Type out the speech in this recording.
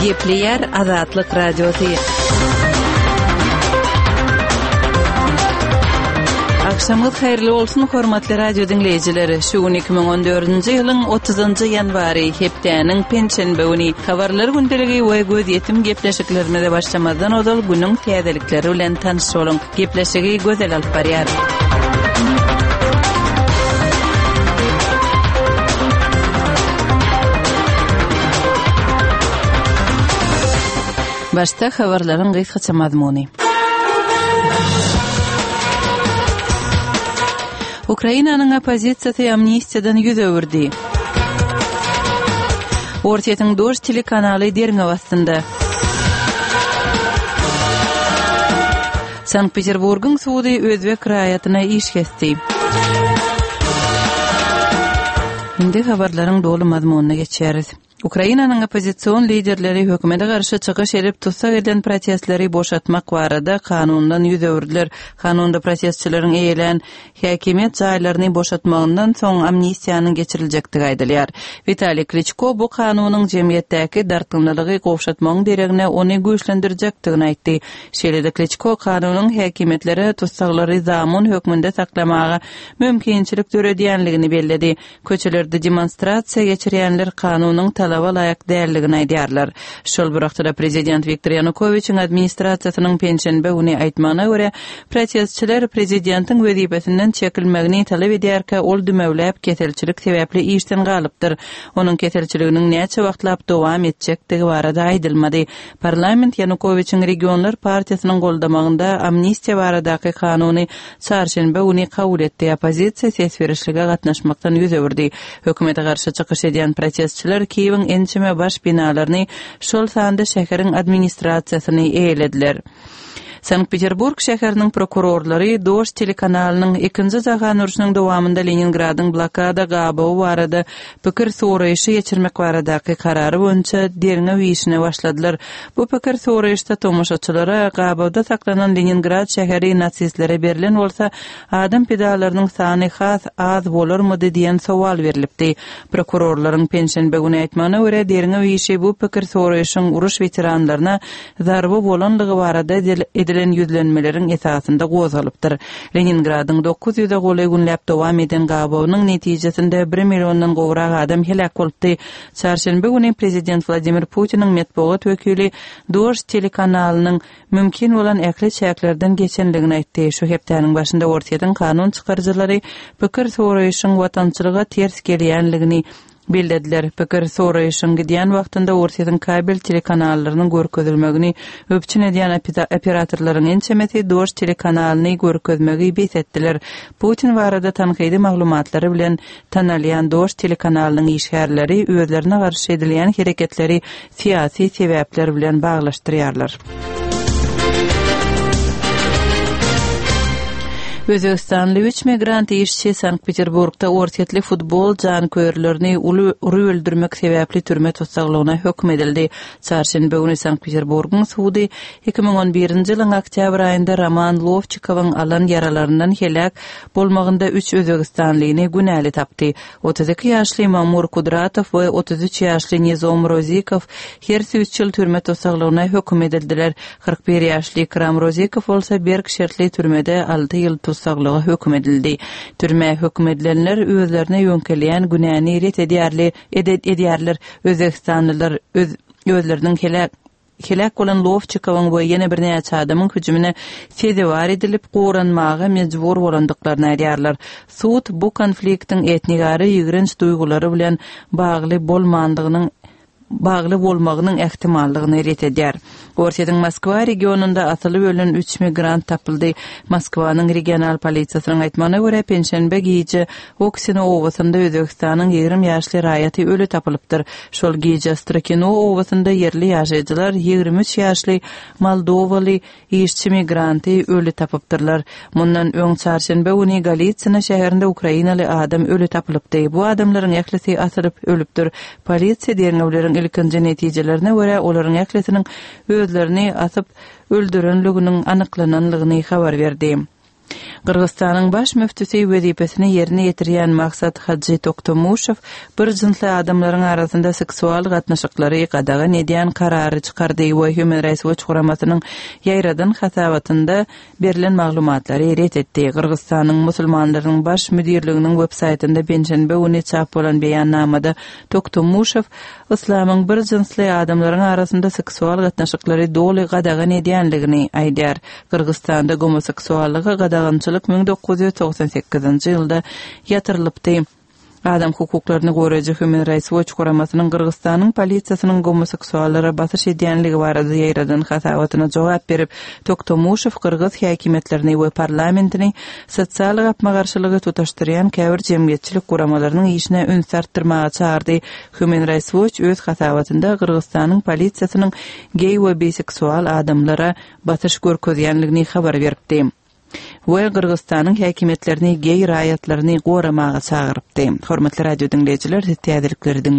Gepleýär Azatlyk Radiosy. Agşamyňyz haýyrly bolsun, hormatly radio diňleýjiler! Şu gün 2014-nji ýylyň 30-njy ýanwary, hepdäniň penşenbe güni. Habarlar gündeligi we gözýetim gepleşiklerimize başlamazdan ozal günüň täzelikleri bilen tanyş boluň. Gepleşigi Gözel alyp barýar. Başda habarlaryň gysgaça mazmuny. Ukrainanyň oppozisiýasy amnistiýadan ýüz öwürdi. Orsýetiň Dožd telekanaly derňew astynda. Sankt-Peterburgyň sudy özbek raýatyna iş kesdi. Indi habarlaryň doly mazmunyna geçýäris. Ukrainanyň oppozision liderleri hökümete garşy çykyş edip tussag edilen protestleri boşatmak barada kanundan ýüz öwürdiler. Kanunda protestçileriň eýelän häkimiýet jaýlaryny boşatmagyndan soň amnistiýanyň geçiriljekdigi aýdylýar. Witaliý Kliçko bu kanunyň jemgyýetdäki dartgynlylygy gowşatmagyň deregine ony güýçlendirjekdigini aýtdy. Şeýle-de Kliçko kanunyň häkimiýetlere tussaglary zamun hökmünde saklamaga mümkinçilik döredýänligini belledi. Köçelerde demonstrasiýa geçirýänler kanunyň talaba laýyk däldigini aýdýarlar. Şol bir wagtda-da prezident Wiktor Ýanukowiçiň administrasiýasynyň penşenbe güni aýtmagyna görä, protestçiler prezidentiň wezipesinden çekilmegini talap edýärkä ol dümewläp keselçilik sebäpli işden galypdyr. Onuň keselçiliginiň näçe wagtlap dowam etjekdigi barada aýdylmady. Parlament Ýanukowiçiň Regionlar partiýasynyň goldamagynda amnistiýa baradaky kanuny çarşenbe güni kabul etdi, oppozisiýa ses berişlige gatnaşmakdan ýüz öwürdi. Hökümete garşy çykyş edýän protestçiler Kiýewiň ençeme baş binalaryny, şol sanda şäheriň administrasiýasyny eýelediler. Sankt-Peterburg şäheriniň prokurorlary Dožd telekanalynyň Ikinji jahan urşunyň dowamynda Leningradyň blokada gabawy barada pikir soraýşy geçirmek baradaky karary boýunça derňew işine başladylar. Bu pikir soraýyşda tomaşaçylara gabawda saklanan Leningrad şäheri nasistlere berlen bolsa, adam pidalarynyň sany has az bolarmydy diýen sowal berlipdi. Prokurorlaryň penşenbe güni aýtmagyna görä, derňew işi bu pikir soraýşyň uruş weteranlaryna zarba bolanlygy barada edilen ýüzlenmeleriň esasynda gozgalypdyr. Leningradyň 900-e golaý günläp dowam eden gabawynyň netijesinde bir milliondan gowrak adam heläk bolupdy. Çarşenbe güni prezident Wladimir Putiniň metbugat wekili Dožd telekanalynyň mümkin bolan ähli çäklerden geçenligini aýtdy. Şu hepdäniň başynda Orsýetiň kanun çykaryjylary pikir soraýyşyň watançylyga ters gelýänligini bellediler. Pikir soraýyşyň gidýän wagtynda Orsýetiň kabel telekanallarynyň görkezilmegini üpjün edýän operatorlaryň ençemesi Dožd telekanalyny görkezmegi bes etdiler. Putin barada tankydy maglumatlary bilen tanalýan Dožd telekanalynyň işgärleri özlerine garşy edilýän hereketleri syýasy sebäpler bilen baglaşdyrýarlar. Özbegistanly üç migrant işçi Sankt-Peterburgda orsýetli futbol janköýerlerini uly urup öldürmek sebäpli türme tussaglygyna höküm edildi. Çarşenbe güni Sankt-Peterburgyň sudy 2011-nji ýylyň oktýabr aýynda Roman Lowçikowyň alan ýaralaryndan heläk bolmagynda üç özbegistanlyny günäli tapdy. 32 ýaşly Mamur Kudratow we 33 ýaşly Nizom Rozikow hersi üç ýyl türme tussaglygyna höküm edildiler. 41 ýaşly Ikram Rozikow bolsa berk şertli türmede alty ýyl tussaglyga höküm edildi. Türmä höküm edilenler özlerine ýöňkelýän günäni ret edýärli edýärler. Özbegistanlylar öz özleriniň heläk Heläk bolan Lowçikowyň we ýene birnäçe adamyň hüjümine sezewar edilip, goranmaga mejbur bolandyklaryny aýdýarlar. Sud bu konfliktiň etnigara ýigrenç duýgulary bilen bagly bolmandygynyň bagly bolmagynyň ähtimallygyny ret edýär. Orsýetiň Moskwa regionynda asylyp ölen üç migrant tapyldy. Moskwanyň regional polisiýasynyň aýtmagyna görä, penşenbe gije Oksino obasynda Özbegistanyň 20 ýaşly raýaty öli tapylypdyr. Şol gije Strokino obasynda ýerli ýaşaýjylar 23 ýaşly moldowaly işçi migranty öli tapypdyrlar. Mundan öň çarşenbe güni Golitsyna şäherinde ukrainaly adam öli tapylypdy. Bu adamlaryň ählisi asylyp ölüpdir. Polisiýa derňewleriň ilkinji netijelerine görä, olaryň ählisiniň özlerini asyp öldürenliginiň anyklananlygyny habar berdi. Gyrgyzystanyň baş müftüsi wezipesini ýerine ýetirýän Maksat Hajy Toktomuşow bir jynsly adamlaryň arasynda seksual gatnaşyklary gadagan edýän karary çykardy we Human Rights Watch guramasynyň ýaýradan hasabatynda berlen maglumatlary ret etdi. Gyrgyzystanyň musulmanlarynyň baş müdirliginiň websaýtynda penşenbe güni çap bolan beýannamada Toktomuşow Yslamyň bir jynsly adamlaryň arasynda seksual gatnaşyklary doly gadagan edýänligini aýdýar. Gyrgyzystanda gomoseksuallyga gadagançylyk 1998-nji ýylda ýatyrylypdy. Adam hukuklaryny goraýjy Human Rights Watch guramasynyň Gyrgyzystanyň polisiýasynyň gomoseksuallara basyş edýänligi barada ýaýradan hasabatyna jogap berip, Toktomuşow gyrgyz häkimiýetlerini we parlamentini sosial gapma-garşylygy tutaşdyrýan käbir jemgyýetçilik guramalarynyň işine ünsi artdyrmaga çagyrdy. Human Rights Watch öz hasabatynda Gyrgyzystanyň polisiýasynyň geý we biseksual adamlara basyş görkezýänligini habar beripdi we Gyrgyzystanyň häkimiýetlerini geý raýatlaryny goramaga çagyrypdy. Hormatly radio diňleýjiler, siz täzelikleri diňlediňiz.